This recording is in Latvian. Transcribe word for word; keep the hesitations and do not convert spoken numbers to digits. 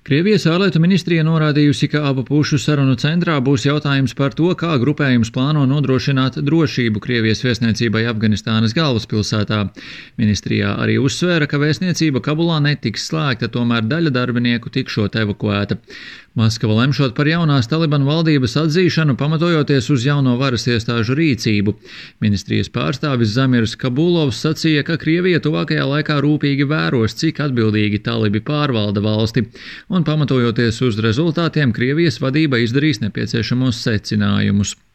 Krievijas ārlietu ministrija norādījusi, ka abu pušu sarunu centrā būs jautājums par to, kā grupējums plāno nodrošināt drošību Krievijas vēstniecībai Afganistānas galvaspilsētā. Ministrijā arī uzsvēra, ka vēstniecība Kabulā netiks slēgta, tomēr daļa darbinieku tikšot evakuēta. Maskava lemšot par jaunās Talibanu valdības atzīšanu, pamatojoties uz jauno varas iestāžu rīcību. Ministrijas pārstāvis Zamirs Kabulovs sacīja, ka Krievija tuvākajā laikā rūpīgi vēros, cik atbildīgi talibi pārvalda valsti, un pamatojoties uz rezultātiem, Krievijas vadība izdarīs nepieciešamos secinājumus.